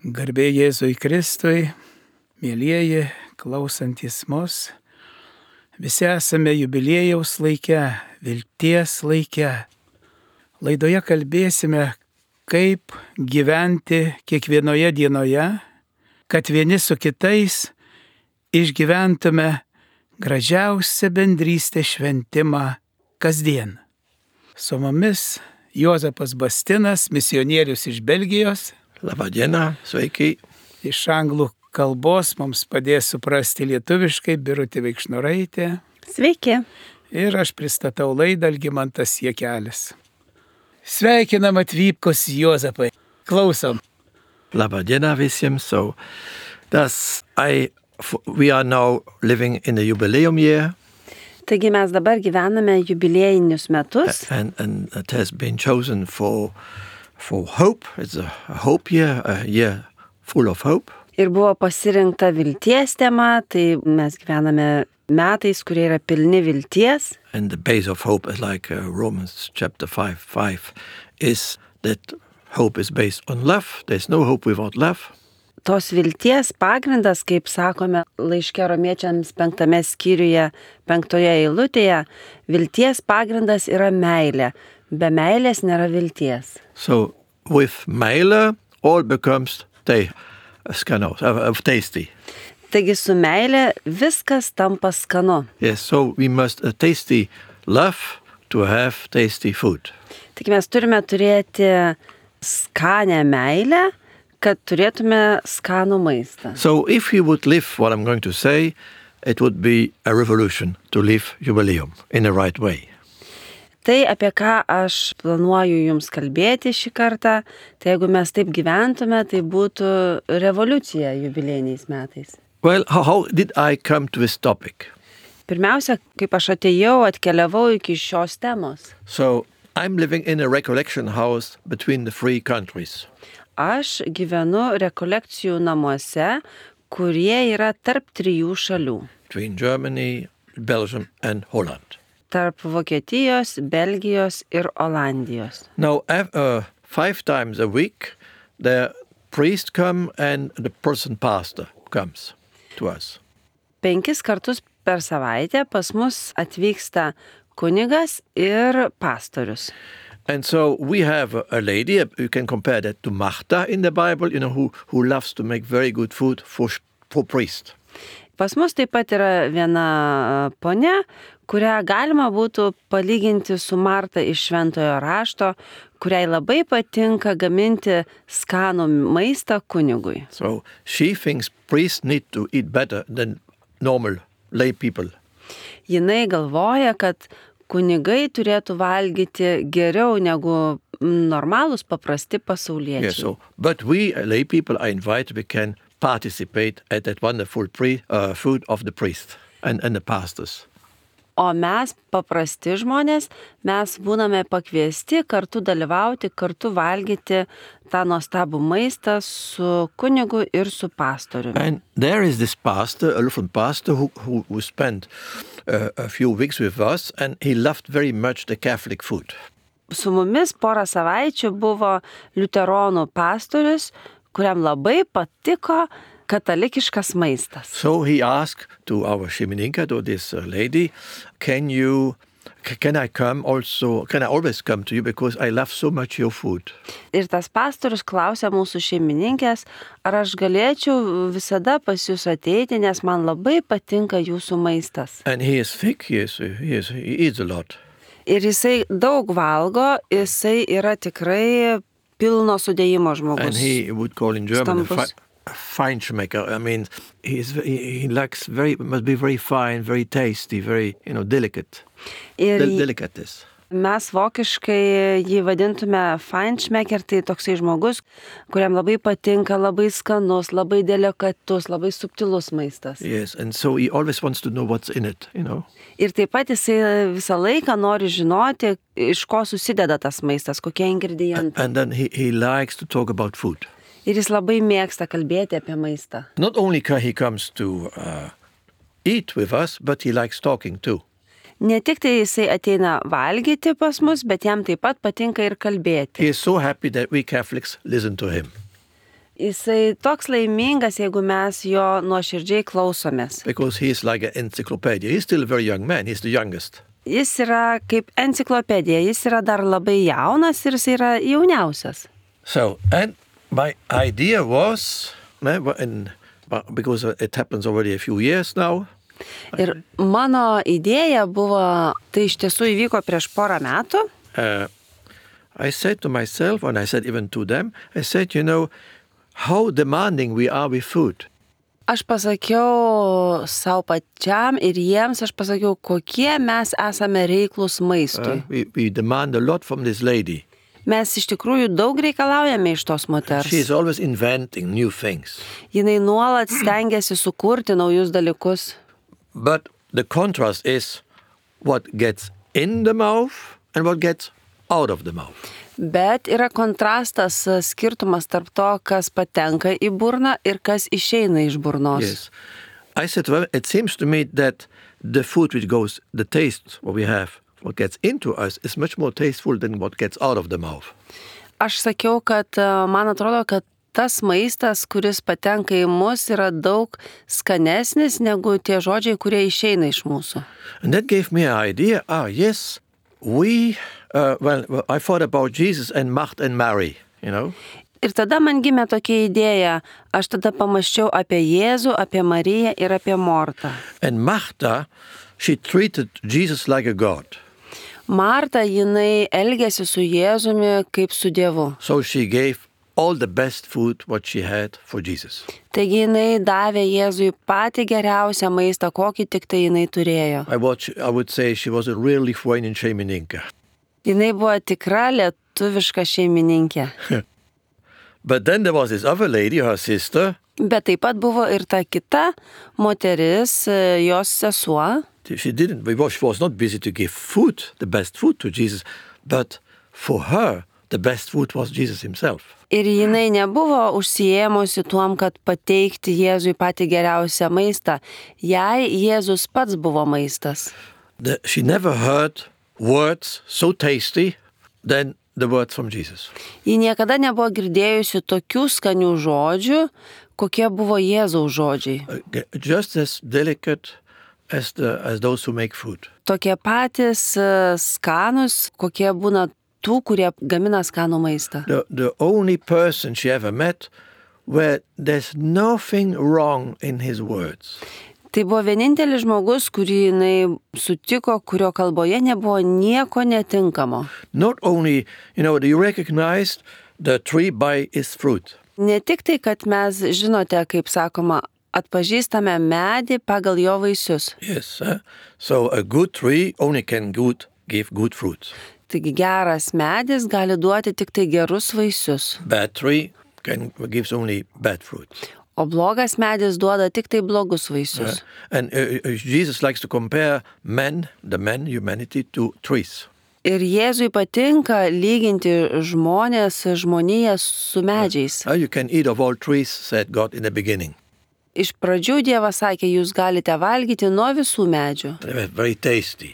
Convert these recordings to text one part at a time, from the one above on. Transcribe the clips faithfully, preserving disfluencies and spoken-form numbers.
Garbė Jėzui Kristui, mėlyjeji, klausantis mus, visi esame jubiliejaus laike, vilties laike. Laidoje kalbėsime, kaip gyventi kiekvienoje dienoje, kad vieni su kitais išgyventume gražiausią bendrystės šventimą kasdien. Su mumis Juozapas Bastinas, misionierius iš Belgijos. Labą dieną, sveiki. Iš anglų kalbos mums padės suprasti lietuviškai Birutė Vaikšnoraitė. Sveiki. Ir aš pristatau laidą Algimantas Jakelis. Sveikinam atvykus Juozapai. Klausom. Labą dieną visiems. So, das, I, we are now living in the jubileum year. Taigi mes dabar gyvename jubiliejinius metus. And, and it has been chosen for, for hope. It's a hope year, a year full of hope. Ir buvo pasirinkta vilties tema, tai mes gyvename metais, kurie yra pilni vilties. And the base of hope is like uh, Romans chapter five, five is that hope is based on love. There's no hope without love. Tos vilties pagrindas, kaip sakome laiške Romiečiams penktame skyriuje, penktoje eilutėje, vilties pagrindas yra meilė. Be meilės nėra vilties. So with meilė all becomes they, skanu, uh, tasty. Taigi su meilė viskas tampa skanu. Yes, so we must uh, tasty love to have tasty food. Taigi mes turime turėti skanę meilę, kad turėtume skanų maistą. So if you would live what I'm going to say, it would be a revolution to live jubileum in the right way. Tai, apie ką aš planuoju jums kalbėti šį kartą, tai jeigu mes taip gyventume, tai būtų revoliucija jubiliejiniais metais. Well, how, how did I come to this topic? Pirmiausia, kaip aš atėjau, atkeliavau iki šios temos. So I'm living in a recollection house between the three countries. Aš gyvenu rekolekcijų namuose, kurie yra tarp trijų šalių. Between Germany, Belgium and Holland. Tarp Vokietijos, Belgijos ir Olandijos. Now, uh, five times a week, the priest come and the person pastor comes to us. Penkis kartus per savaitę pas mus atvyksta kunigas ir pastorius. And so we have a, a lady, you can compare that to Martha in the Bible, you know, who, who loves to make very good food for, for priest. Pas mus taip pat yra viena ponia, kurią galima būtų palyginti su Marta iš Šventojo rašto, kuriai labai patinka gaminti skanų maistą kunigui. So she thinks priests need to eat better than normal lay people. Jinai galvoja, kad kunigai turėtų valgyti geriau negu normalūs paprasti pasauliečiai. Yes, so, but we lay people are invited, we can participate at that wonderful pre, uh, food of the priest and, and the pastors. O mes, paprasti žmonės, mes būname pakviesti kartu dalyvauti, kartu valgyti tą nuostabų maistą su kunigu ir su pastoriumi. And there is this pastor, a Lutheran pastor, who, who, who spent uh, a few weeks with us, and he loved very much the Catholic food. Su mumis porą savaičių buvo liuteronų pastorius, kuriam labai patiko katalikiškas maistas. So he asked to our šeimininkę, to this uh, lady, can you, can I come also, can I always come to you because I love so much your food? Ir tas pastorius klausė mūsų šeimininkės, ar aš galėčiau visada pas jūs ateiti, nes man labai patinka jūsų maistas. And he is thick, he, is, he, is, he eats a lot. Ir jisai daug valgo, jisai yra tikrai pilno sudėjimo žmogus. And he would call in German a, fi- Stambus. a Feinschmecker. I mean, he's, he, he likes very, must be very fine, very tasty, very, you know, delicate. Ir Del- delicates. mes vokiškai jį vadintume Feinschmecker, tai toksai žmogus, kuriam labai patinka, labai skanus, labai delikatus, labai subtilus maistas. Yes, and so he always wants to know what's in it, you know. Ir taip pat jisai visą laiką nori žinoti, iš ko susideda tas maistas, kokie ingredientai. And then he, he likes to talk about food. Ir jis labai mėgsta kalbėti apie maistą. Not only ca- he comes to uh, eat with us, but he likes talking too. Ne tik tai jisai ateina valgyti pas mus, bet jam taip pat patinka ir kalbėti. He is so happy that we Catholics listen to him. Jisai toks laimingas, jeigu mes jo nuoširdžiai klausomės. because he is like an encyclopedia. He's still a very young man. He's the youngest. Jis yra kaip enciklopedija, jis yra dar labai jaunas ir jis yra jauniausias. So, and my idea was, eh, and because it happens already a few years now, Ir mano idėja buvo, tai iš tiesų įvyko prieš porą metų. uh, I said to myself, and I said even to them, I said, you know, how demanding we are with food. Aš pasakiau savo pačiam ir jiems, aš pasakiau, kokie mes esame reiklus maistui. Uh, we, we demand a lot from this lady. Mes iš tikrųjų daug reikalaujame iš tos moters. She is always inventing new things. Jinai nuolat stengiasi sukurti naujus dalykus. But the contrast is what gets in the mouth and what gets out of the mouth. Bet yra kontrastas, skirtumas tarp to, kas patenka į burną ir kas išeina iš burnos. Yes. I said, well, it seems to me that the food which goes, the taste what we have, what gets into us is much more tasteful than what gets out of the mouth. Aš sakiau, kad uh, man atrodo, kad tas maistas, kuris patenka į mus, yra daug skanesnis negu tie žodžiai, kurie išeina iš mūsų. And that gave me an idea. Ah, yes, we, uh, well, well, I thought about Jesus and Macht and Mary, you know. Ir tada man gimė tokia idėja. Aš tada pamaščiau apie Jėzų, apie Mariją ir apie Mortą. And Martha, she treated Jesus like a god. Marta, jinai elgėsi su Jėzumi kaip su Dievu. So she gave all the best food what she had for Jesus. Taigi jinai davė Jėzui patį geriausią maistą, kokį tik tai jinai turėjo. I, watch, I would say she was a real Lithuanian šeimininkė. Jinai buvo tikra lietuviška šeimininkė. But then there was this other lady, her sister. Bet taip pat buvo ir ta kita moteris, jos sesuo. She didn't, she was not busy to give food, the best food to Jesus, but for her, the best food was Jesus himself. Ir jinai nebuvo užsiėmusi tuom, kad pateikti Jėzui patį geriausią maistą. Jai Jėzus pats buvo maistas. The, she never heard words so tasty than the words from Jesus. Ji niekada nebuvo girdėjusi tokių skanių žodžių, kokie buvo Jėzaus žodžiai. Just as delicate as, the, as those who make food. Tokie patys skanus, kokie būna tų, kurie gamina skanų maistą. The, the only person she ever met where there's nothing wrong in his words. Tai buvo vienintelis žmogus, kurį jinai sutiko, kurio kalboje nebuvo nieko netinkamo. Not only, you know, you recognized the tree by its fruit. Ne tik tai, kad mes, žinote, kaip sakoma, atpažįstame medį pagal jo vaisius. Yes, uh, so a good tree only can good, give good fruit. Taigi geras medis gali duoti tik tai gerus vaisius. Bad tree can gives only bad fruit. O blogas medis duoda tik tai blogus vaisius. Uh, and uh, Jesus likes to compare men, the men, humanity, to trees. Ir Jėzui patinka lyginti žmonės, žmoniją su medžiais. Uh, you can eat of all trees, said God in the beginning. Iš pradžių Dievas sakė, jūs galite valgyti nuo visų medžių. They were very tasty.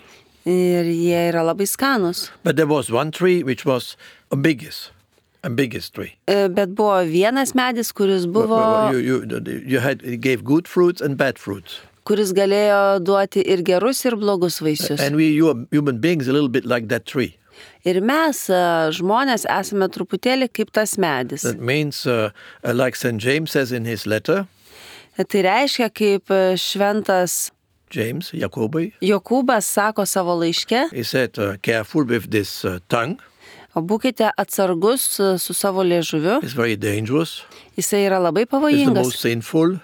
Ir jie yra labai skanus. But there was one tree which was a biggest. A biggest tree. Bet buvo vienas medis, kuris buvo, you, you, you had, you gave good fruits and bad fruits. Kuris galėjo duoti ir gerus, ir blogus vaisius. And we, you human beings, a little bit like that tree. Ir mes, žmonės, esame truputėlį kaip tas medis. That means, uh, like Saint James says in his letter. Tai reiškia, kaip šventas James, Jakobai. Jokūbas sako savo laiške. He said, uh, careful with this uh, tongue. Būkite atsargus su savo liežuviu. It's very dangerous. Jisai yra labai It's the pavojingas. most sinful.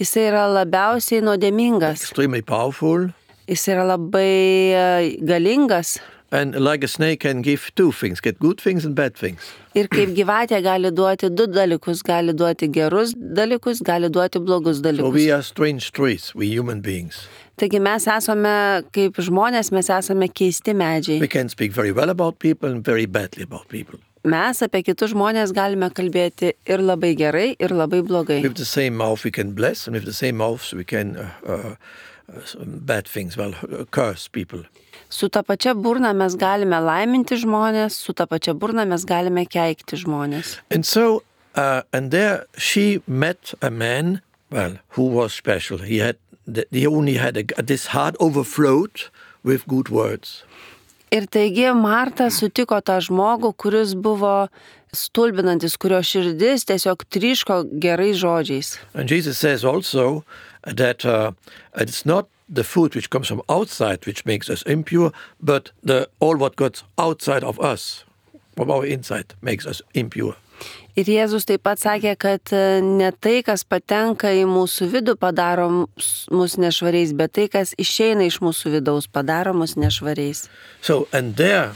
Jisai yra labiausiai nuodėmingas. Extremely powerful. Jisai yra labai galingas. And like a snake can give two things, get good things and bad things. Ir kaip gyvatė gali duoti du dalykus, gali duoti gerus dalykus, gali duoti blogus dalykus. So we are strange trees, we human beings. Taigi mes esame kaip žmonės, mes esame keisti medžiai. We can speak very well about people and very badly about people. Mes apie kitus žmonės galime kalbėti ir labai gerai, ir labai blogai. With the same mouth we can bless, and with the same mouth we can uh, uh, uh, bad things, well, uh, curse people. Su ta pačia burna mes galime laiminti žmonės, su ta pačia burna mes galime keikti žmonės. And so Uh, and there she met a man, well, who was special. He had, he only had a, this heart overflowed with good words. Ir taigi Marta sutiko tą žmogų, kuris buvo stulbinantis, kurio širdis tiesiog tryško gerais žodžiais. And Jesus says also that uh, it's not the food which comes from outside which makes us impure, but the all what goes outside of us, from our inside, makes us impure. Ir Jėzus taip pat sakė, kad ne tai, kas patenka į mūsų vidų, padaro mus nešvariais, bet tai, kas išeina iš mūsų vidaus, padaro mus nešvariais. So, and there,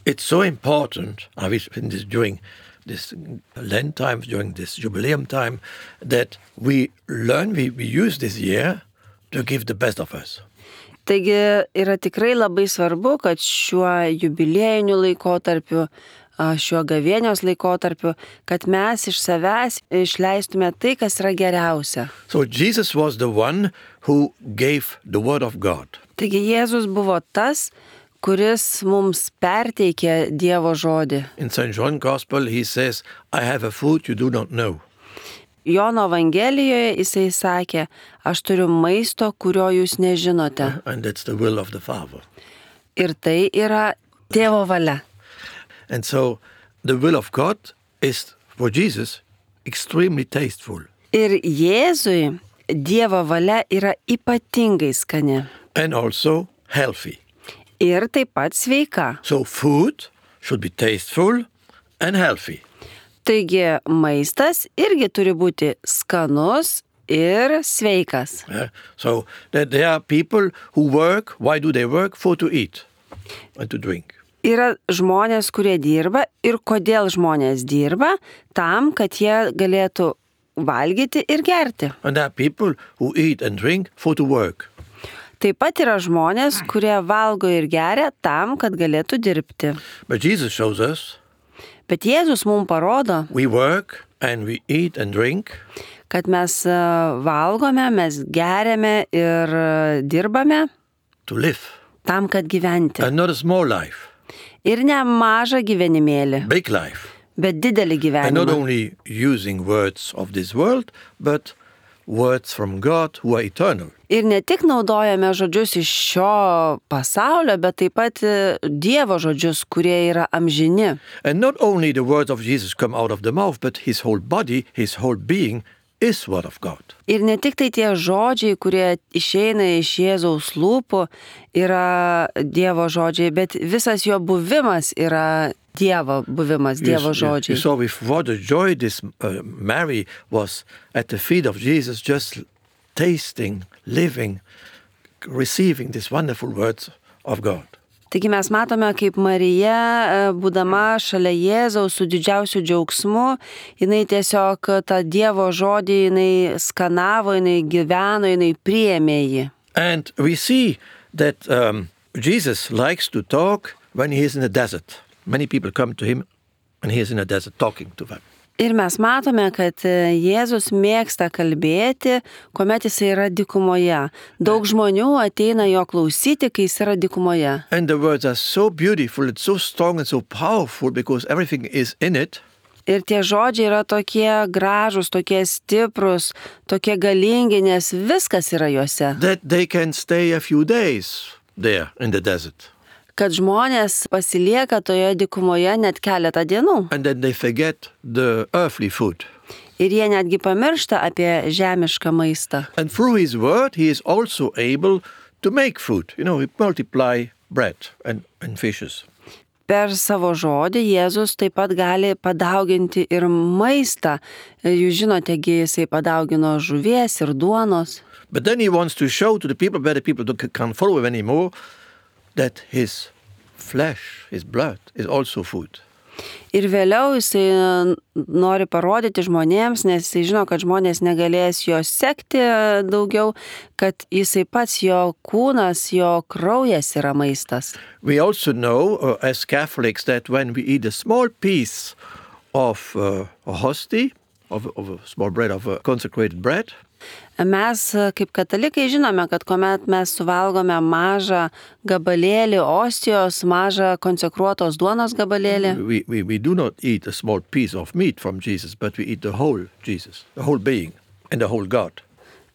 it's so important, I wish in this, during this Lent time, during this jubileum time, that we learn, we, we use this year to give the best of us. Taigi yra tikrai labai svarbu, kad šiuo jubiliejiniu laikotarpiu, šiuo gavėnios laikotarpiu, kad mes iš savęs išleistume tai, kas yra geriausia. So Jesus was the one who gave the word of God. Taigi Jėzus buvo tas, kuris mums perteikė Dievo žodį. In Saint John Gospel he says, I have a food you do not know. Jono Evangelijoje jisai sakė, aš turiu maisto, kurio jūs nežinote. And that's the will of the Father. Ir tai yra Tėvo valia. And so the will of God is, for Jesus, extremely tasteful. Ir Jėzui Dievo valia yra ypatingai skani. And also healthy. Ir taip pat sveika. So food should be tasteful and healthy. Taigi maistas irgi turi būti skanus ir sveikas. Yeah. So that there are people who work, why do they work? For to eat and to drink. Yra žmonės, kurie dirba ir kodėl žmonės dirba, tam, kad jie galėtų valgyti ir gerti. And there are people who eat and drink for to work. Taip pat yra žmonės, kurie valgo ir geria tam, kad galėtų dirbti. But Jesus shows us, Bet Jėzus mums parodo, we work and we eat and drink kad mes valgome, mes geriame ir dirbame to live. Tam, kad gyventi. And not a small life, Ir ne mažą gyvenimėlį, big life. bet didelį And not gyvenimą. only using words of this world, but words from God who are eternal. Ir ne tik naudojame žodžius iš šio pasaulio, bet taip pat Dievo žodžius, kurie yra amžini. And not only the words of Jesus come out of the mouth, but his whole body, his whole being is word of God. Ir ne tik tai tie žodžiai, kurie išeina iš Jėzaus lūpų, yra Dievo žodžiai, bet visas jo buvimas yra Dievo buvimas, Dievo You, you žodžiai. saw with what a joy this uh, Mary was at the feet of Jesus, just tasting, living, receiving these wonderful words of God. Taigi mes matome, kaip Marija, būdama šalia Jėzaus su didžiausiu džiaugsmu, jinai tiesiog tą Dievo žodį, jinai skanavo, jinai gyveno, jinai priėmė jį. And we see that um, Jesus likes to talk when he is in the desert. Many people come to him and he is in the desert talking to them. Ir mes matome, kad Jėzus mėgsta kalbėti, kuomet jis yra dykumoje. Daug žmonių ateina jo klausyti, kai jis yra dykumoje. And the words are so beautiful, it's so strong and so powerful because everything is in it. Ir tie žodžiai yra tokie gražūs, tokie stiprus, tokie galingi, nes viskas yra juose. That they can stay a few days there in the desert. Kad žmonės pasilieka toje dykumoje net keletą dienų. And then they forget the earthly food. Ir jie netgi pamiršta apie žemišką maistą. And through his word, he is also able to make food. You know, he multiply bread and, and fishes. Per savo žodį Jėzus taip pat gali padauginti ir maistą. Jūs žinote, jisai padaugino žuvies ir duonos. But then he wants to show to the people, where the people can't follow him anymore, that his flesh, his blood, is also food. Ir vėliau jisai nori parodyti žmonėms, nes jisai žino, kad žmonės negalės jo sekti daugiau, kad jisai pats, jo kūnas, jo kraujas yra maistas. We also know, uh, as Catholics, that when we eat a small piece of uh, a hostie, of, of a small bread, of a consecrated bread, Mes kaip katalikai žinome, kad kuomet mes suvalgome mažą gabalėlį ostijos, mažą konsekruotos duonos gabalėlį, We, we, we do not eat a small piece of meat from Jesus, but we eat the whole Jesus, the whole being, and the whole God.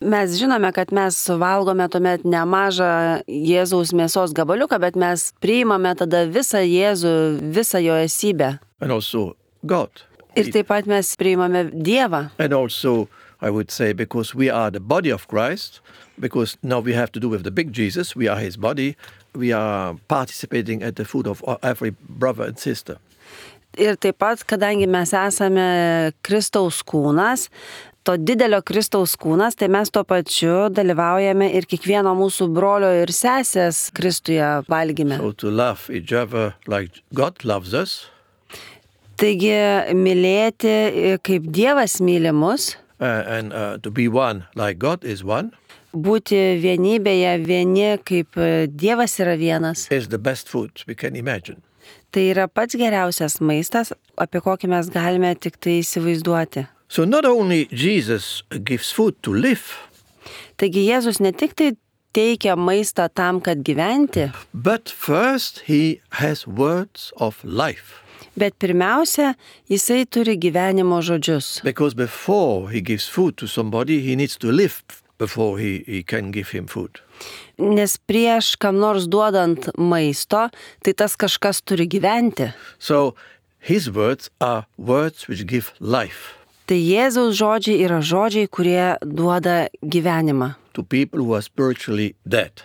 mes žinome, kad mes suvalgome tuomet ne mažą Jėzaus mėsos gabaliuką, bet mes priimame tada visą Jėzų, visą jo esybę. And also God. Ir taip pat mes priimame Dievą. And also, I would say, because we are the body of Christ, because now we have to do with the big Jesus, we are his body, we are participating at the food of every brother and sister. Ir taip pat, kadangi mes esame Kristaus kūnas, to didelio Kristaus kūnas, tai mes tuo pačiu dalyvaujame ir kiekvieno mūsų brolio ir sesės Kristuje valgyme. So to love each other like God loves us, Taigi mylėti kaip Dievas myli mus, uh, and uh, to be one like God is one, būti vienybėje vieni kaip Dievas yra vienas. is the best food we can imagine. Tai yra pats geriausias maistas, apie kokį mes galime tik tai įsivaizduoti. So not only Jesus gives food to live, Taigi Jėzus ne tik tai teikia maistą tam, kad gyventi, but first he has words of life. bet pirmiausia, jisai turi gyvenimo žodžius. Because before he gives food to somebody, he needs to live before he, he can give him food. Nes prieš kam nors duodant maisto, tai tas kažkas turi gyventi. So his words are words which give life Tai Jėzaus žodžiai yra žodžiai, kurie duoda gyvenimą. to people who are spiritually dead.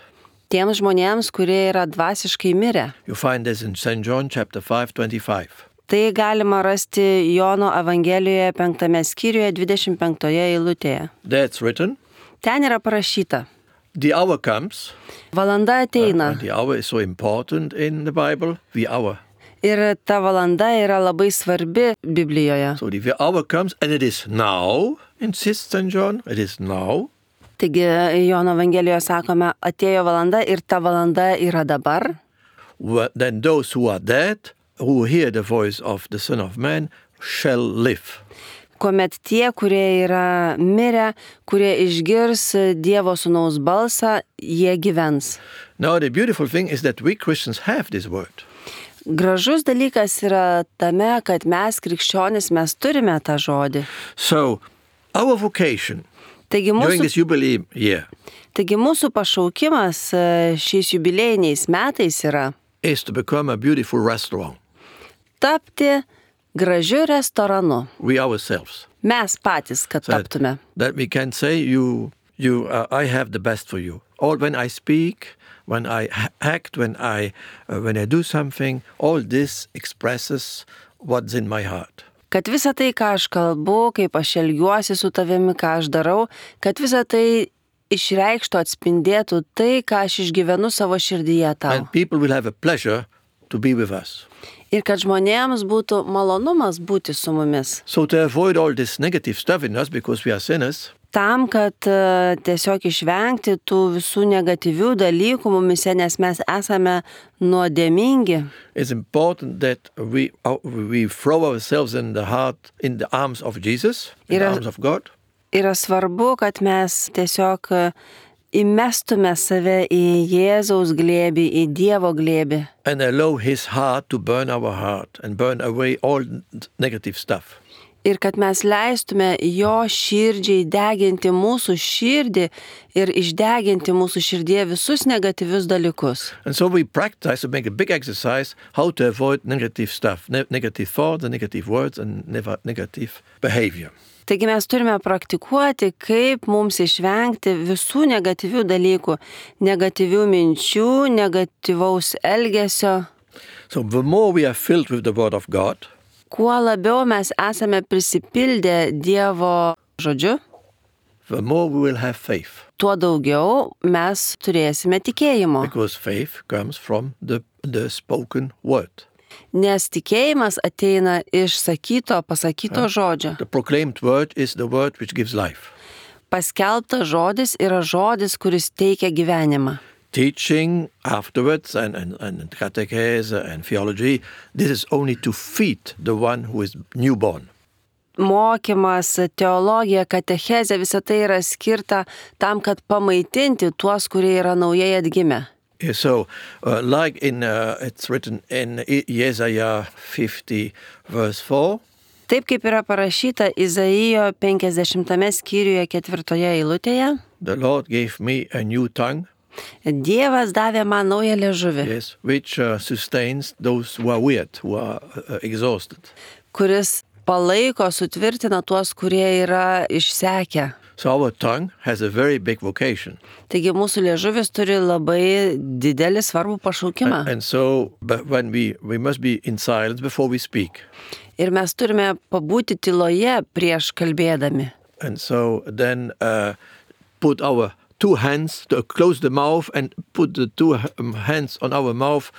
Tiems žmonėms, kurie yra dvasiškai mirę. You find this in Saint John chapter five, twenty-five. Tai galima rasti Jono Evangelijoje penktame skyriuje dvidešimt penktoje eilutėje. That's written. Ten yra parašyta: The hour comes, valanda ateina. and the hour is so important in the Bible, the hour. Ir ta valanda yra labai svarbi Biblijoje. So the hour comes, and it is now, insists Saint John, it is now. Taigi Jono Evangelijoje sakome, atėjo valanda ir ta valanda yra dabar. Wh- Then those who are dead, who hear the voice of the Son of Man, shall live. Kuomet tie, kurie yra mirę, kurie išgirs Dievo sūnaus balsą, jie gyvens. Now the beautiful thing is that we Christians have this word. Gražus dalykas yra tame, kad mes krikščionys, mes turime tą žodį. So our vocation Taigi during mūsų, this jubilee year taigi mūsų pašaukimas e, šiais jubiliejiniais metais yra is to become a beautiful restaurant. tapti gražiu restoranu. We ourselves. Mes patys, kad That, taptume. that we can say, you, you, uh, I have the best for you. All when I speak, when I ha- act, when I, uh, when I do something, all this expresses what's in my heart. Kad visa tai, ką aš kalbu, kaip aš elgiuosi su tavimi, ką aš darau, kad visa tai išreikštų, atspindėtų tai, ką aš išgyvenu savo širdyje tau. And people will have a pleasure to be with us. Ir kad žmonėms būtų malonumas būti su mumis. So to avoid all this negative stuff in us, because we are sinners, Tam, kad e, tiesiog išvengti tų visų negatyvių dalykų mumise, nes mes esame nuodėmingi. it's important that we, uh, we throw ourselves in the heart, in the arms of Jesus, in the Yra- arms of God. Yra svarbu, kad mes tiesiog e, įmestume save į Jėzaus glėbį, į Dievo glėbį. And allow his heart to burn our heart and burn away all negative stuff. Ir kad mes leistume jo širdžiai deginti mūsų širdį ir išdeginti mūsų širdie visus negatyvius dalykus. And so we practice to make a big exercise how to avoid negative stuff, ne- negative thoughts and negative words and never negative behavior. Taigi mes turime praktikuoti, kaip mums išvengti visų negatyvių dalykų, negatyvių minčių, negatyvaus elgesio. So the more we are filled with the word of God, Kuo labiau mes esame prisipildę Dievo žodžiu, the more we will have faith. tuo daugiau mes turėsime tikėjimo. Because faith comes from the, the spoken word. Nes tikėjimas ateina iš sakyto, pasakyto žodžio. The proclaimed word is the word which gives life. Paskelbtas žodis yra žodis, kuris teikia gyvenimą. Teaching afterwards and, and, and catechese and theology, this is only to feed the one who is newborn. mokymas, teologija, katechezė, visa tai yra skirta tam, kad pamaitinti tuos, kurie yra naujai atgimę. Yeah, so, uh, like in, uh, it's written in Isaiah fifty, verse four. Taip kaip yra parašyta Izaijo penkiasdešimtame skyriuje ketvirtoje eilutėje. The Lord gave me a new tongue. Dievas davė man naują liežuvį, Yes, which uh, sustains those who are weird, who are uh, exhausted. kuris palaiko, sutvirtina tuos, kurie yra išsekę. So our tongue has a very big vocation. Taigi mūsų liežuvis turi labai didelį svarbų pašaukimą. And, and so, but when we, we must be in silence before we speak. Ir mes turime pabūti tyloje prieš kalbėdami. And so then uh, put our two hands, to close the mouth and put the two um, hands on our mouth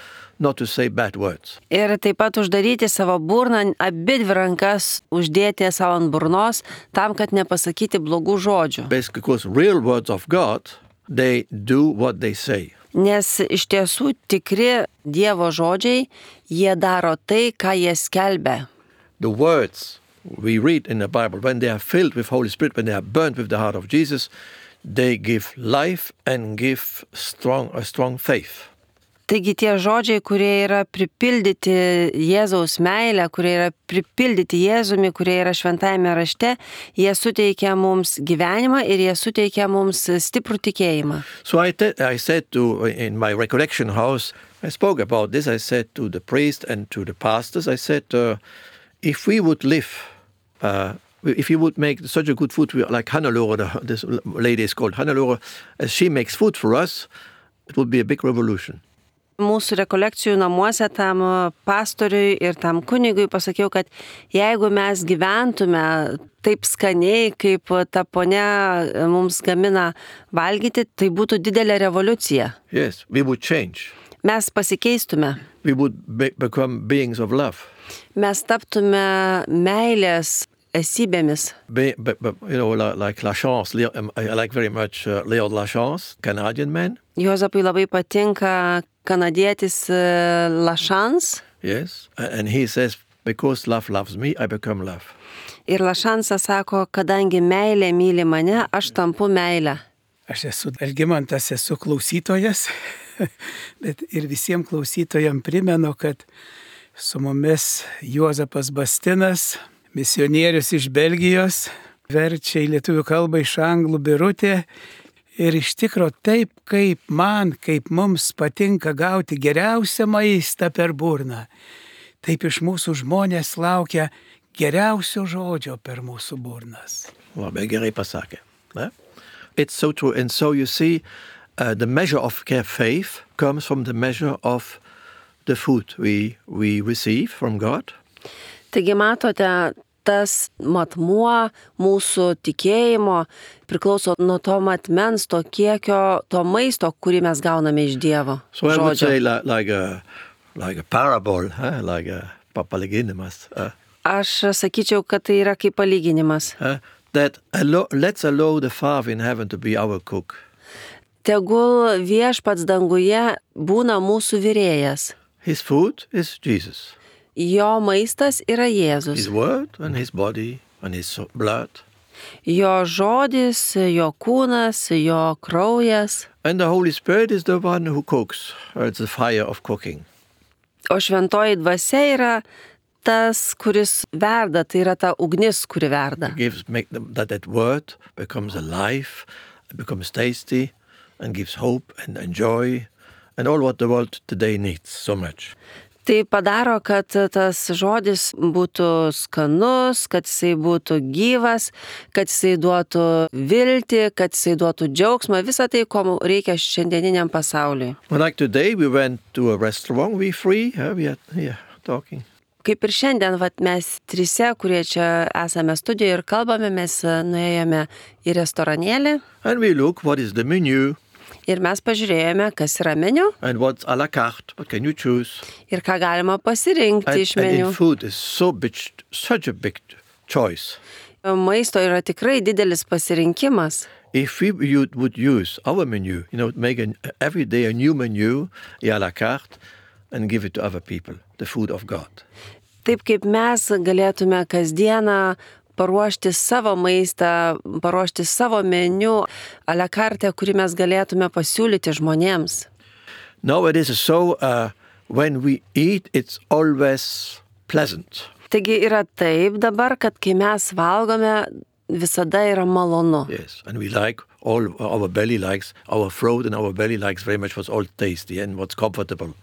not to say bad words. Ir taip pat uždaryti savo burną, abi dvi rankas uždėti savo ant burnos, tam, kad nepasakyti blogų žodžių. Basically, because real words of God, they do what they say. Nes iš tiesų tikri Dievo žodžiai, jie daro tai, ką jie skelbia. The words we read in the Bible, when they are filled with Holy Spirit, when they are burnt with the heart of Jesus, they give life and give strong a strong faith. Taigi tie žodžiai, kurie yra pripildyti Jėzaus meilę, kurie yra pripildyti Jėzumi, kurie yra šventajame rašte, jie suteikia mums gyvenimą ir jie suteikia mums stiprų tikėjimą. So I, te- I said to, in my recollection house, I spoke about this, I said to the priest and to the pastors, I said, uh, if we would live, uh, if you would make such a good food, like Hannelore, the, this lady is called Hannelore, as she makes food for us, it would be a big revolution. Mūsų rekolekcijų namuose tam pastoriui ir tam kunigui pasakiau, kad jeigu mes gyventume taip skaniai, kaip ta ponia mums gamina valgyti, tai būtų didelė revoliucija. Yes, we would change. Mes pasikeistume. We would be- become beings of love. Mes taptume meilės esybėmis. Be, be, be, you know, like, like Lachance, Leo, um, I like very much uh, Leo Lachance, Canadian man. Juozapui labai patinka kanadietis Lašans. Yes, a- and he says, because love loves me, I become love. Ir Lašansas sako, kadangi meilė myli mane, aš tampu meilę. Aš esu Algimantas, esu klausytojas, bet ir visiems klausytojams primenu, kad su mumis Juozapas Bastinas, misionierius iš Belgijos, verčia į lietuvių kalbą iš anglų Birutė. Ir iš tikro taip, kaip man, kaip mums patinka gauti geriausią maistą per burną, taip iš mūsų žmonės laukia geriausio žodžio per mūsų burnas. Labai gerai pasakė. Ne? It's so true. And so you see, uh, the measure of faith comes from the measure of the food we, we receive from God. Taigi matote, tas matmuo mūsų tikėjimo priklauso nuo to matmens, to kiekio, to maisto, kurį mes gauname iš Dievo So I would žodžio. say like, like, a, like a parable, huh? Like a papalyginimas. Uh, Aš sakyčiau, kad tai yra kaip palyginimas. uh, that allo- let's allow the Father in heaven to be our cook. Tegul viešpats danguje būna mūsų virėjas. His food is Jesus. Jo maistas yra Jėzus. His word and his body and his so- blood. Jo žodis, jo kūnas, jo kraujas. And the Holy Spirit is the one who cooks. Uh, It's the fire of cooking. O šventoji dvasia yra tas, kuris verda, tai yra ta ugnis, kuri verda. Gives make them, that that word becomes alive, becomes tasty, and gives hope and, and joy, and all what the world today needs so much. Tai padaro, kad tas žodis būtų skanus, kad jisai būtų gyvas, kad jisai duotų viltį, kad jisai duotų džiaugsmą, visą tai, ko reikia šiandieniniam pasauliui. Well, like today, we went to a restaurant. We free. Huh? We are here talking. Kaip ir šiandien, vat, mes trise, kurie čia esame studijoje ir kalbame, mes nuėjome į restoranėlį And we look what is the menu ir mes pažiūrėjome, kas yra meniu and what's à la carte. What can you choose? ir ką galima pasirinkti And, iš and meniu. in food is so big, such a big choice. Maisto yra tikrai didelis pasirinkimas. If we you would use our menu, you know, make an, every day a new menu, à la carte, and give it to other people, the food of God. Taip kaip mes galėtume kasdieną paruošti savo maistą, paruošti savo meniu, a la carte, kurį mes galėtume pasiūlyti žmonėms. No, it is so, uh, when we eat, it's always pleasant. Taigi yra taip dabar, kad kai mes valgome, visada yra malonu. Yes, and we like, all our belly likes, our throat and our belly likes very much what's all tasty and what's comfortable.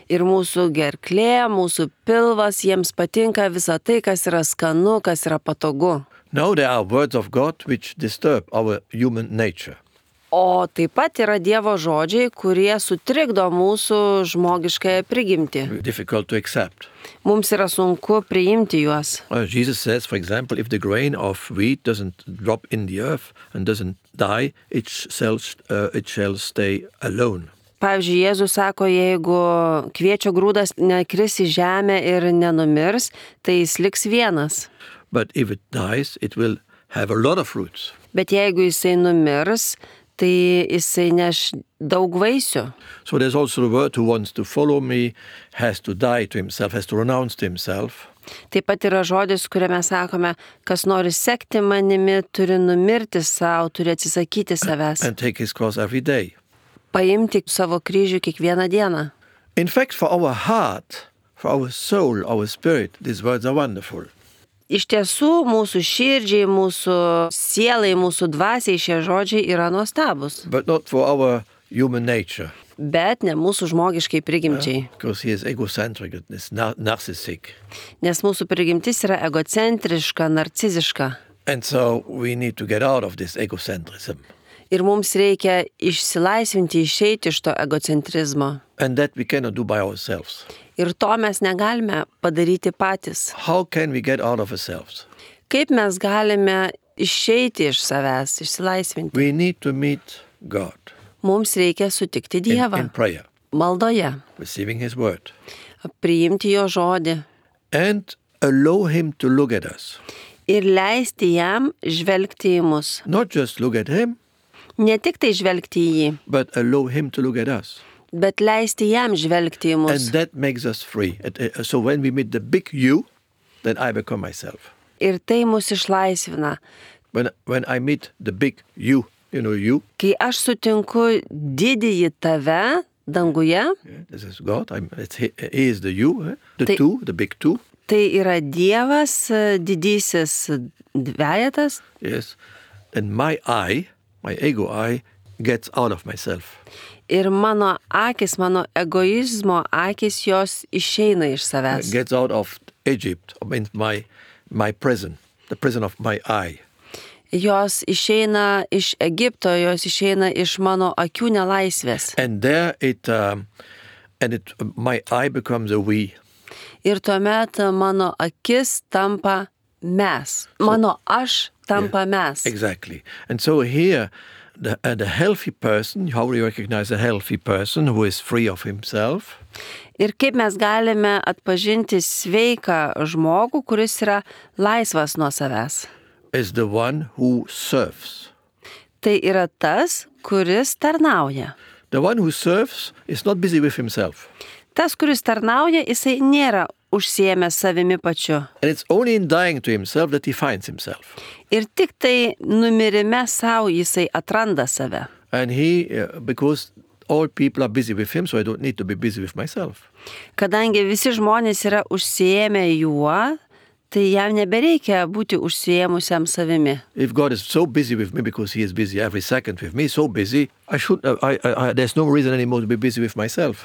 Ir mūsų gerklė, mūsų pilvas, jiems patinka visa tai, kas yra skanu, kas yra patogu. Now there are words of God which disturb our human nature. O taip pat yra Dievo žodžiai, kurie sutrikdo mūsų žmogiškąją prigimtį. Difficult to accept. Mums yra sunku priimti juos. Uh, Jesus says, for example, if the grain of wheat doesn't drop in the earth and doesn't die, it shall, uh, it shall stay alone. Pavyzdžiui, Jėzus sako, jeigu kviečio grūdas nekris į žemę ir nenumirs, tai jis liks vienas. But if it dies, it will have a lot of fruits. Bet jeigu jisai numirs, tai jisai neš daug vaisių. So there's also the word who wants to follow me has to die to himself, has to renounce to himself. Taip pat yra žodis, kuriame sakome, kas nori sekti manimi, turi numirti savo, turi atsisakyti savęs. And take his cross every day. Paimti savo kryžių kiekvieną dieną. In fact, for our heart, for our soul, our spirit, these words are wonderful. Iš tiesų, mūsų širdžiai, mūsų sielai, mūsų dvasiai šie žodžiai yra nuostabus. But not for our human nature. Bet ne mūsų žmogiškai prigimčiai. Yeah, because he is egocentric, is nar- narcissistic. Nes mūsų prigimtis yra egocentriška, narciziška. And so we need to get out of this egocentrism. Ir mums reikia išsilaisvinti, išeiti iš to egocentrizmo. And that we cannot do by ourselves. Ir to mes negalime padaryti patys. How can we get out of ourselves? Kaip mes galime išeiti iš savęs, išsilaisvinti? We need to meet God Mums reikia sutikti in, Dievą in prayer, maldoje, receiving his word, priimti jo žodį and allow him to look at us. ir leisti jam žvelgti į mus. Not just look at him, Ne tik tai žvelgti į jį, but allow him to look at us. bet leisti jam žvelgti į mus. And that makes us free. And, uh, So when we meet the big you, then I become myself. Ir tai mus išlaisvina. When, when I meet the big you, you know you, Kai aš sutinku didįjį tave danguje, yeah, this is God, I'm, it's, he, he is the you, eh? the Tai- two, the big two, tai yra Dievas, didysis dvejetas, yes, then my I, my ego I, gets out of myself. ir mano akis, mano egoizmo akis, jos išeina iš savęs. Gets out of Egypt, I mean my, my prison, the prison of my eye. Jos išeina iš Egipto, jos išeina iš mano akių nelaisvės. And there it, um, and it, my eye becomes a we. Ir tuomet mano akis tampa mes. Mano aš tampa mes. Exactly. And so here, the, uh, the healthy person, how we recognize a healthy person who is free of himself, Ir kaip mes galime atpažinti sveiką žmogų, kuris yra laisvas nuo savęs. is the one who serves. Tai yra tas, kuris tarnauja. The one who serves is not busy with himself. Tas, kuris tarnauja, jisai nėra užsiėmęs savimi pačiu. And it's only in dying to himself that he finds himself. Ir tik tai numirime savo jisai atranda save. And he, uh, because all people are busy with him, so I don't need to be busy with myself. Kadangi visi žmonės yra užsiėmę juo, tai jam nebereikia būti užsiėmusiam savimi. If God is so busy with me because he is busy every second with me, so busy, I should, uh, I, I, I, there's no reason anymore to be busy with myself.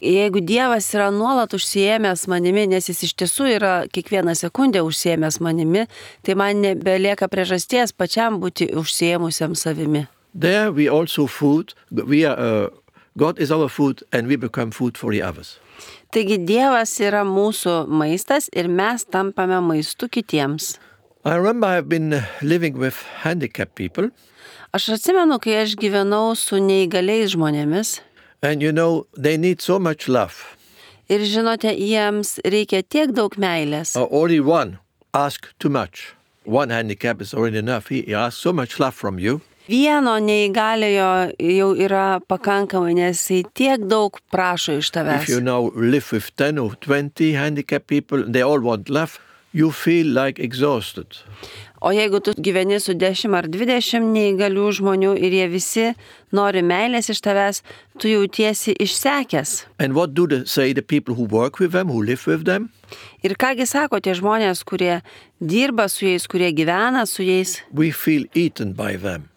Jeigu Dievas yra nuolat užsiėmęs manimi, nes jis iš tiesų yra kiekvieną sekundę užsiėmęs manimi, tai man nebelieka priežasties pačiam būti užsiėmusiam savimi. There we also food, we are, uh, God is our food and we become food for the others. Taigi Dievas yra mūsų maistas ir mes tampame maistu kitiems. I remember I've been living with handicapped people, Aš atsimenu, kai aš gyvenau su neįgaliais žmonėmis and you know, they need so much love. ir žinote, jiems reikia tiek daug meilės. Uh, only one asks too much. One handicap is already enough. He, he asks so much love from you. Vieno neįgaliojo jau yra pakankamai, nes jis tiek daug prašo iš If tavęs. you now live with ten or twenty handicapped people, they all want love, you feel like exhausted. O jeigu tu gyveni su dešimt ar dvidešimt neįgalių žmonių ir jie visi nori meilės iš tavęs, tu jautiesi išsekęs. And what do they say the people who work with them, who live with them? Ir kągi sako tie žmonės, kurie dirba su jais, kurie gyvena su jais? We feel eaten by them.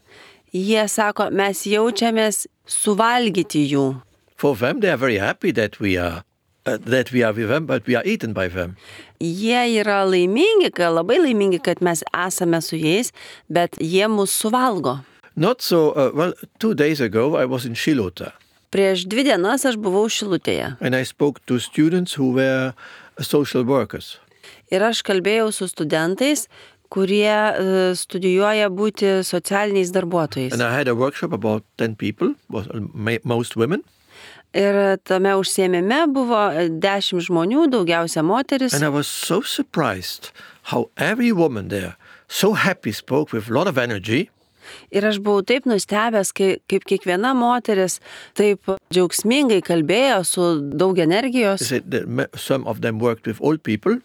Jie sako, mes jaučiamės suvalgyti jų. For them, they are very happy that we are uh, that we are with them, but we are eaten by them. Jie yra laimingi, labai laimingi, kad mes esame su jais, bet jie mus suvalgo. Not so, uh, well, two days ago I was in Shilota. Prieš dvi dienas aš buvau Šilutėje. And I spoke to students who were social workers. Ir aš kalbėjau su studentais, kurie uh, studijuoja būti socialiniais darbuotojais. And I had a workshop about ten people, was most women. Ir tame užsiėmime buvo dešimt žmonių, daugiausia moteris. And I was so surprised how every woman there so happy spoke with a lot of energy. Ir aš buvau taip nustebęs, kaip, kaip kiekviena moteris taip džiaugsmingai kalbėjo su daug energijos. Some of them worked with old people.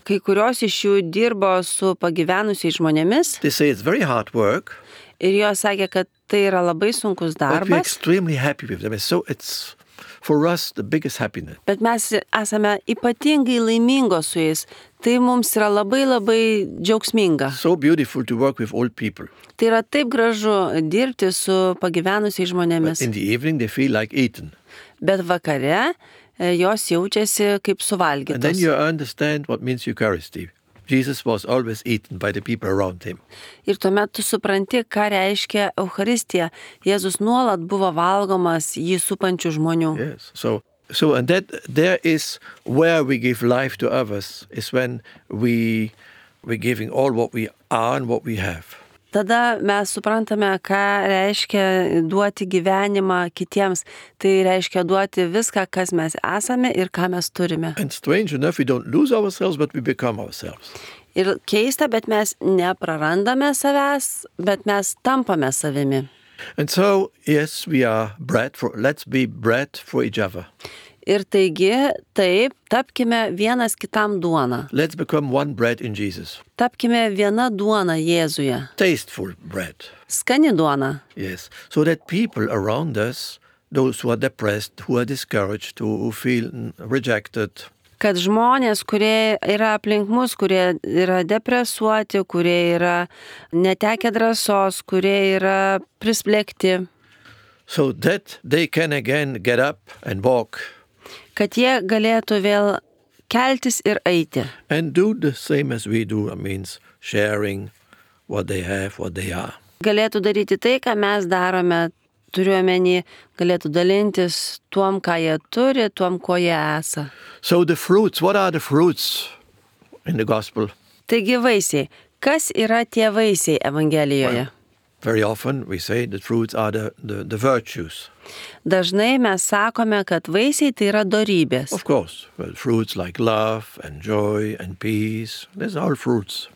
Kai kurios iš jų dirbo su pagyvenusiais žmonėmis. They say it's very hard work. Ir jos sakė, kad tai yra labai sunkus darbas. But we're extremely happy with them. So it's for us the biggest happiness. Bet mes esame ypatingai laimingos su jais. Tai mums yra labai labai džiaugsminga. So beautiful to work with old people. Tai yra taip gražu dirbti su pagyvenusiais žmonėmis. But in the evening they feel like eaten. Bet vakare jos jaučiasi kaip suvalgytos. And then you understand what means Eucharisty. Jesus was always eaten by the people around him. Ir tuomet tu supranti, ką reiškia Eucharistija. Jėzus nuolat buvo valgomas jį supančių žmonių. Yes. So, so and that there is where we give life to others is when we we giving all what we are and what we have. Tada mes suprantame, ką reiškia duoti gyvenimą kitiems. Tai reiškia duoti viską, kas mes esame ir ką mes turime. And strange enough, we don't lose ourselves, but we become ourselves. Ir keista, bet mes neprarandame savęs, bet mes tampame savimi. And so, yes, we are bread for, let's be bread for each other. Ir taigi, taip, tapkime vienas kitam duona. Let's become one bread in Jesus. Tapkime viena duona Jėzuje. Tasteful bread. Skani duona. Yes. So that people around us, those who are depressed, who are discouraged, who, who feel rejected. Kad žmonės, kurie yra aplink mus, kurie yra depresuoti, kurie yra netekę drąsos, kurie yra prisplėkti. So that they can again get up and walk. Kad jie galėtų vėl keltis ir eiti. And do the same as we do, it means sharing what they have, what they are. Galėtų daryti tai, ką mes darome, turiuomenį, galėtų dalintis tuom, ką jie turi, tuom, ko jie esą. So the fruits, what are the fruits in the gospel? Taigi vaisiai. Kas yra tie vaisiai Evangelijoje? Well, very often we say the fruits are the, the, the virtues. Dažnai mes sakome, kad vaisiai tai yra dorybės. Of course, well, fruits like love and joy and peace, these are all fruits.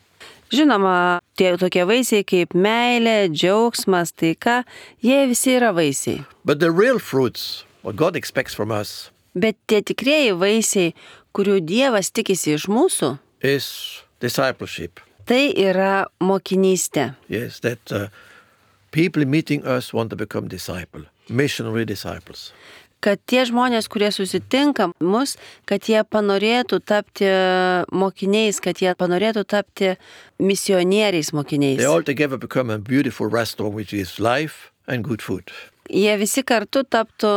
Žinoma, tie tokie vaisiai kaip meilė, džiaugsmas, taika, jie visi yra vaisiai. But the real fruits, what God expects from us, Bet tie tikrieji vaisiai, kurių Dievas tikisi iš mūsų, is discipleship. tai yra mokinystė. Yes, that uh, people meeting us want to become disciple, missionary disciples. Kad tie žmonės, kurie susitinka mus, kad jie panorėtų tapti mokiniais, kad jie panorėtų tapti misionieriais mokiniais. They all together become a beautiful restaurant which is life and good food. Jie visi kartu taptų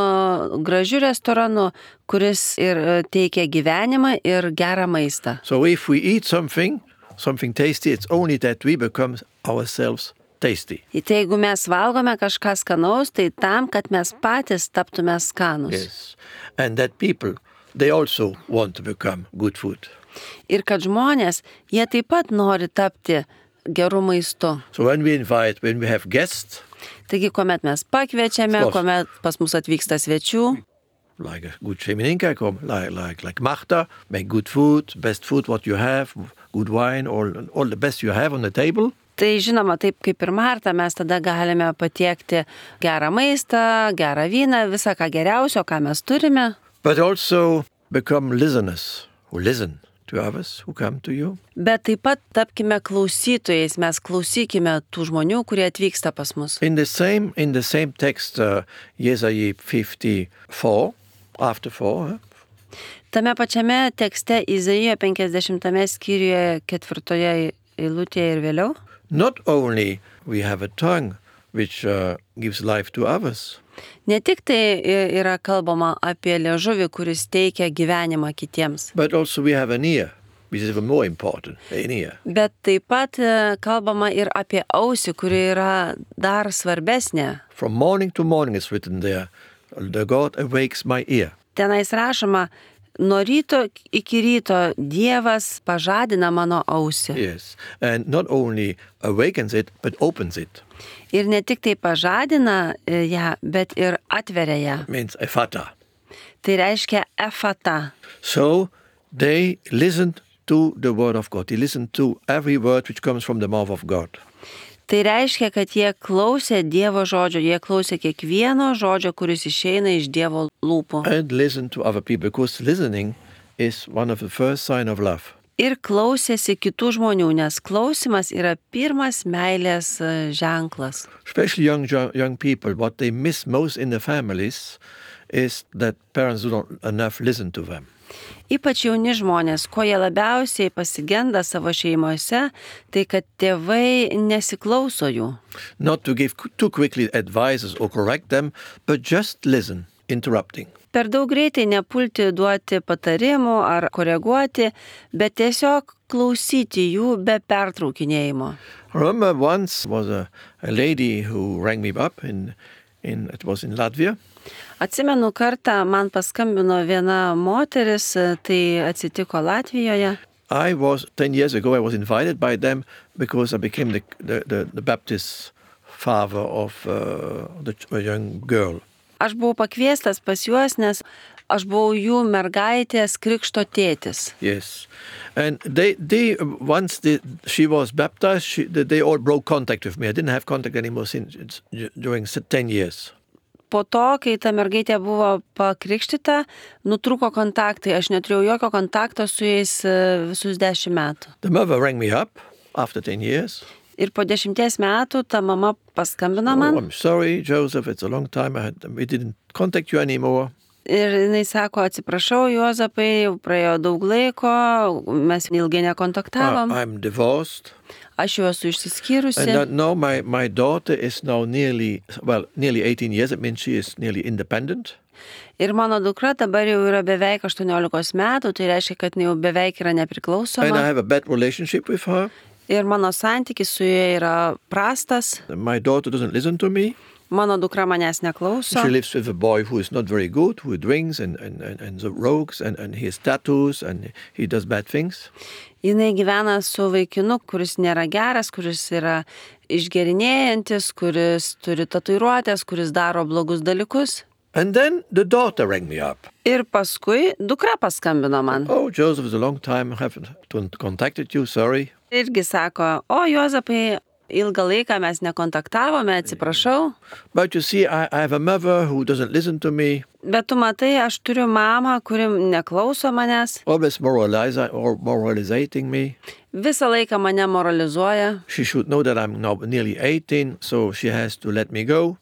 gražiu restoranu, kuris ir teikia gyvenimą ir gerą maistą. So if we eat something, something tasty, it's only that we become ourselves tasty. Tai jeigu mes valgome kažką skanaus, tai tam, kad mes patys taptume skanus. Yes. And that people, they also want to become good food. Ir kad žmonės, jie taip pat nori tapti gerų maistu. So when we invite, when we have guests, Taigi, kuomet mes pakviečiame, Of course. kuomet pas mus atvyksta svečių, like a good Šeimininka, come, like, like, like Martha, make good food, best food what you have, good wine, all, all the best you have on the table. tai žinoma, taip kaip ir Marta, mes tada galime patiekti gerą maistą, gerą vyną, visą ką geriausio, ką mes turime. But also become listeners who listen to others who come to you. Bet taip pat tapkime klausytojais, mes klausykime tų žmonių, kurie atvyksta pas mus. In the same, in the same text, uh, Jesaja fifty-four, after four, huh? Tame pačiame tekste Izaijo penkiasdešimtame skyriuje ketvirtoje eilutėje ir vėliau. Not only we have a tongue which uh, gives life to others, Ne tik tai yra kalbama apie liežuvį, kuris teikia gyvenimą kitiems, but also we have an ear, which is even more important, an ear. bet taip pat e, kalbama ir apie ausį, kuri yra dar svarbesnė. From morning to morning it's written there, the God awakes my ear. Tenais rašoma, nuo ryto iki ryto Dievas pažadina mano ausį. Yes, and not only awakens it, but opens it. Ir ne tik tai pažadina e, ją, bet ir atveria ją. Means ephata. Tai reiškia efata. So they listened to the word of God. They listened to every word which comes from the mouth of God. Tai reiškia, kad jie klausė Dievo žodžio, jie klausė kiekvieno žodžio, kuris išeina iš Dievo lūpų. And listened to other people, because listening is one of the first sign of love. Ir klausėsi kitų žmonių, nes klausimas yra pirmas meilės e, ženklas. Especially young young people, what they miss most in the families is that parents do not enough listen to them. Ypač jauni žmonės, ko jie labiausiai pasigenda savo šeimose, tai kad tėvai nesiklauso jų. Not to give too quickly advices or correct them, but just listen, interrupting. Per daug greitai nepulti duoti patarimų ar koreguoti, bet tiesiog klausyti jų be pertraukinėjimo. I remember once was a, a lady who rang me up in, in it was in Latvia. Atsimenu kartą man paskambino viena moteris, tai atsitiko Latvijoje. I was ten years ago I was invited by them because I became the the, the, the Baptist father of uh, the a young girl. Aš buvau pakviestas pas juos, nes aš buvau jų mergaitės krikšto tėtis. Yes, and they they once they, she was baptized, she, they all broke contact with me. I didn't have contact anymore since during ten years. Po to, kai ta mergaitė buvo pakrikštyta, nutrūko kontaktai. Aš neturėjau jokio kontakto su jais e, visus dešimt metų. The mother rang me up after ten years. Ir po dešimties metų ta mama paskambino Oh, man. I'm sorry, Joseph, it's a long time. I had, we didn't contact you anymore. Ir jinai sako, atsiprašau, Juozapai, jau praėjo daug laiko, mes ilgai Uh, nekontaktavom. I'm divorced. Aš jau esu išsiskyrusi. And uh, now my, my daughter is now nearly, well, nearly eighteen years. It means she is nearly independent. Ir mano dukra dabar jau yra beveik aštuoniolikos metų, tai reiškia, kad jinai jau beveik yra And I nepriklausoma. have a bad relationship with her. Ir mano santykis su ja yra prastas. My daughter doesn't listen to me. Mano dukra manęs neklauso. She lives with a boy who is not very good, who drinks and, and, and, and the rogues and, and he has tattoos and he does bad things. Jinai gyvena su vaikinu, kuris nėra geras, kuris yra išgerinėjantis, kuris turi tatuiruotės, kuris daro blogus dalykus. And then the daughter rang me up. Ir paskui dukra paskambino man. Oh, Joseph, it's a long time. I haven't contacted you, sorry. Irgi sako, o Juozapai, ilgą laiką mes nekontaktavome, atsiprašau. But you see, I, I have a mother who doesn't listen to me. Bet tu matai, aš turiu mamą, kuri neklauso manęs. Always moralizing or moralizing me. Visą laiką mane moralizuoja. She should know that I'm now nearly eighteen, so she has to let me go.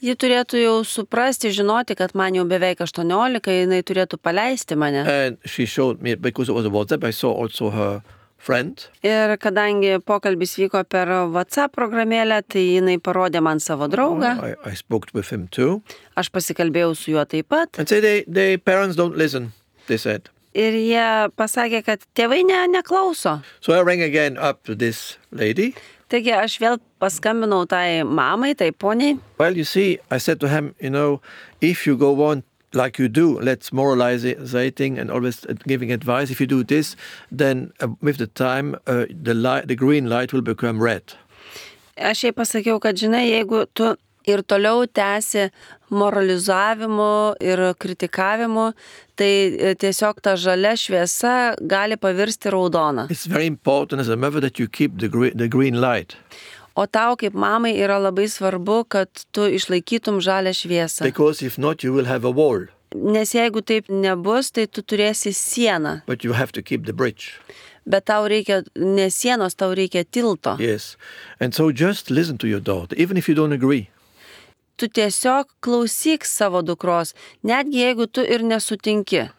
Ji turėtų jau suprasti, žinoti, kad man jau beveik aštuoniolika, jinai turėtų paleisti mane. And she showed me, because it was a WhatsApp, I saw also her friend. Ir kadangi pokalbis vyko per WhatsApp programėlę, tai jinai parodė man savo draugą. I, I spoke with him too. Aš pasikalbėjau su juo taip pat. And said, they, they parents don't listen, they said. Ir jie pasakė, kad tėvai ne, neklauso. So I rang again up to this lady. Taigi aš vėl paskambinau tai mamai, tai poniai. Well, you see, I said to him, you know, if you go on like you do, let's moralizing and always giving advice. If you do this, then uh, with the time, uh, the light, the green light will become red. Aš jai pasakiau, kad žinai, jeigu tu ir toliau tęsi moralizavimu ir kritikavimu, tai tiesiog ta žalia šviesa gali pavirsti raudona. It's very important as a mother that you keep the, gre- the green light. O tau kaip mamai yra labai svarbu, kad tu išlaikytum žalę šviesą. Because if not, you will have a wall. Nes jeigu taip nebus, tai tu turėsi sieną. But you have to keep the bridge. Bet tau reikia ne sienos, tau reikia tilto. Yes. And so just listen to your daughter, even if you don't agree. Tu tiesiog klausyk savo dukros, netgi jeigu tu ir nesutinki.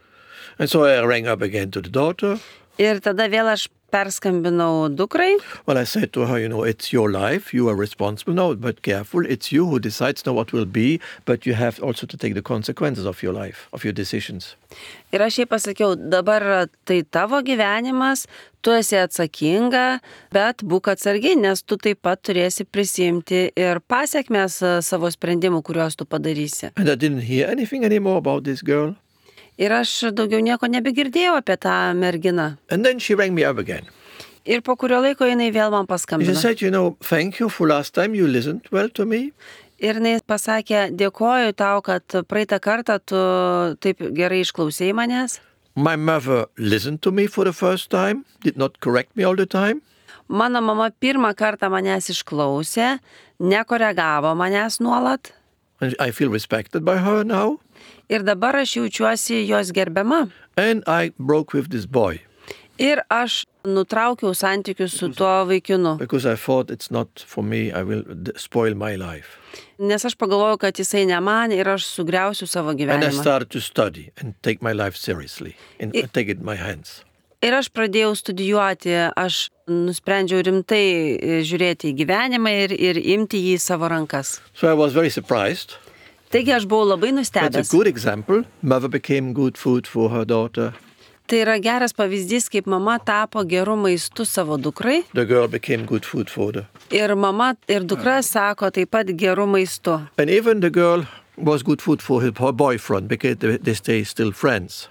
And so I rang up again to the daughter. Ir tada vėl aš perskambinau dukrai. Well, I said to her, you know, it's your life, you are responsible now, but careful, it's you who decides now what will be, but you have also to take the consequences of your life, of your decisions. Ir aš jai pasakiau, dabar tai tavo gyvenimas, tu esi atsakinga, bet būk atsargi, nes tu taip pat turėsi prisimti ir pasiekmes savo sprendimų, kuriuos tu padarysi. And I didn't hear anything anymore about this girl. Ir aš daugiau nieko nebegirdėjau apie tą merginą. And then she rang me up again. Ir po kurio laiko jinai vėl man She paskambino. said, you know, thank you for last time you listened well to me. Ir jinai pasakė, dėkoju tau, kad praeitą kartą tu taip gerai išklausėjai manęs. My mother listened to me for the first time, did not correct me all the time. Mano mama pirmą kartą manęs išklausė, nekoregavo manęs nuolat. And I feel respected by her now. Ir dabar aš jaučiuosi jos gerbiama. And I broke with this boy Ir aš nutraukiau santykius su tuo vaikinu. because I thought it's not for me, I will d- spoil my life. Nes aš pagalvojau, kad jisai ne man ir aš sugriausiu savo And I gyvenimą. started to study and take my life seriously and I- take it in my hands. Ir aš pradėjau studijuoti, aš nusprendžiau rimtai žiūrėti į gyvenimą ir, ir imti jį į savo rankas. So I was very surprised. Taigi aš buvau labai That's nustebęs. a good example. Mother became good food for her daughter. Tai yra geras pavyzdys, kaip mama tapo gerų maistų savo dukrai. The girl became good food for her. Ir mama ir dukra sako taip pat gerų maistų. And even the girl was good food for her her boyfriend because they, they stay still friends.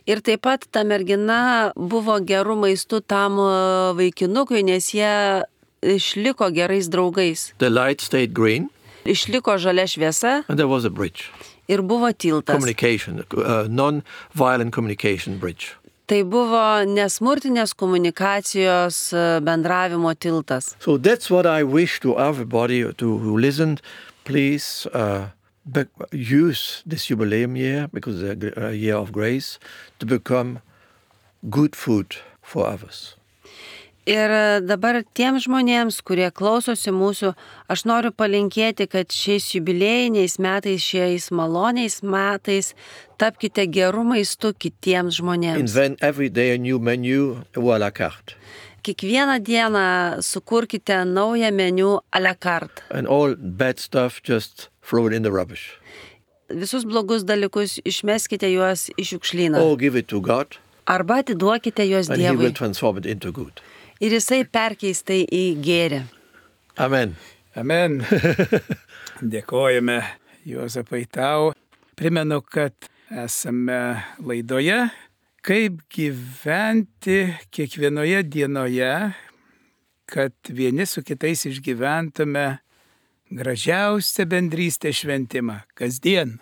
Ir taip pat ta mergina buvo gerų maistų tam e, vaikinukui, nes jie išliko gerais draugais. The light stayed green Išliko žalia šviesa and there was a bridge. ir buvo tiltas. Communication, uh, non-violent communication bridge. Tai buvo nesmurtinės komunikacijos e, bendravimo tiltas. So that's what I wish to everybody to, who listened. Please uh, be, use this jubileum year, because it's a, a year of grace, to become good food for others. Ir dabar tiems žmonėms, kurie klausosi mūsų, aš noriu palinkėti, kad šiais jubiliejiniais metais, šiais maloniais metais tapkite gerų maistų kitiems žmonėms. Invent every day a new menu ou à la carte. Kiekvieną dieną sukurkite naują meniu à la carte. And all bad stuff, just throw it in the rubbish. Visus blogus dalykus išmeskite juos į šiukšlyną. Or give it to God, Arba atiduokite juos and He will Dievui. transform it into good. Ir jisai perkeis tai į gėrį. Amen. Amen. Dėkojame Juozapai tau. Primenu, kad esame laidoje, kaip gyventi kiekvienoje dienoje, kad vieni su kitais išgyventume gražiausią bendrystę šventimą. Kasdien.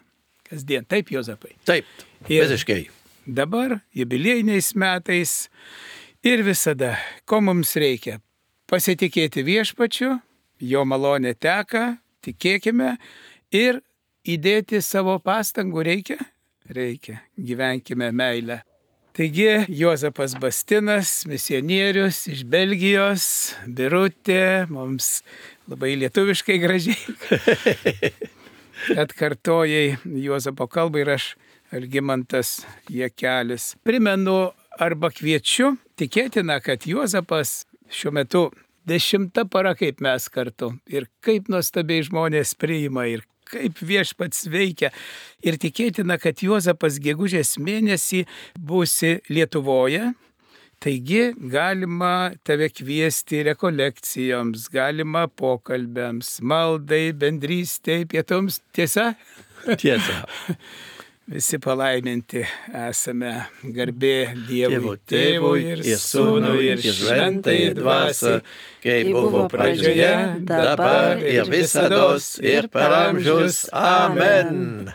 Kasdien. Taip, Juozapai. Taip, Ir- visiškai. Dabar, jubiliejiniais metais ir visada, ko mums reikia? Pasitikėti viešpačiu, jo malonė teka, tikėkime ir įdėti savo pastangų reikia? Reikia. Gyvenkime meilę. Taigi, Juozapas Bastinas, misionierius iš Belgijos, Birutė, mums labai lietuviškai gražiai atkartojai Juozapo kalbą ir aš, Algimantas Jakelis. Primenu arba kviečiu, tikėtina, kad Juozapas šiuo metu dešimta para kaip mes kartu ir kaip nuostabiai žmonės priima ir kaip viešpats veikia. Ir tikėtina, kad Juozapas gegužės mėnesį būsi Lietuvoje. Taigi galima tave kviesti rekolekcijoms, galima pokalbėms, maldai, bendrystei, pietums. Tiesa? Tiesa. Visi palaiminti esame, garbė Dievo Dievui, Tėvui ir Sūnui ir Šventai Dvasiai, kaip buvo pradžioje, dabar ir visados ir per amžius. Amen.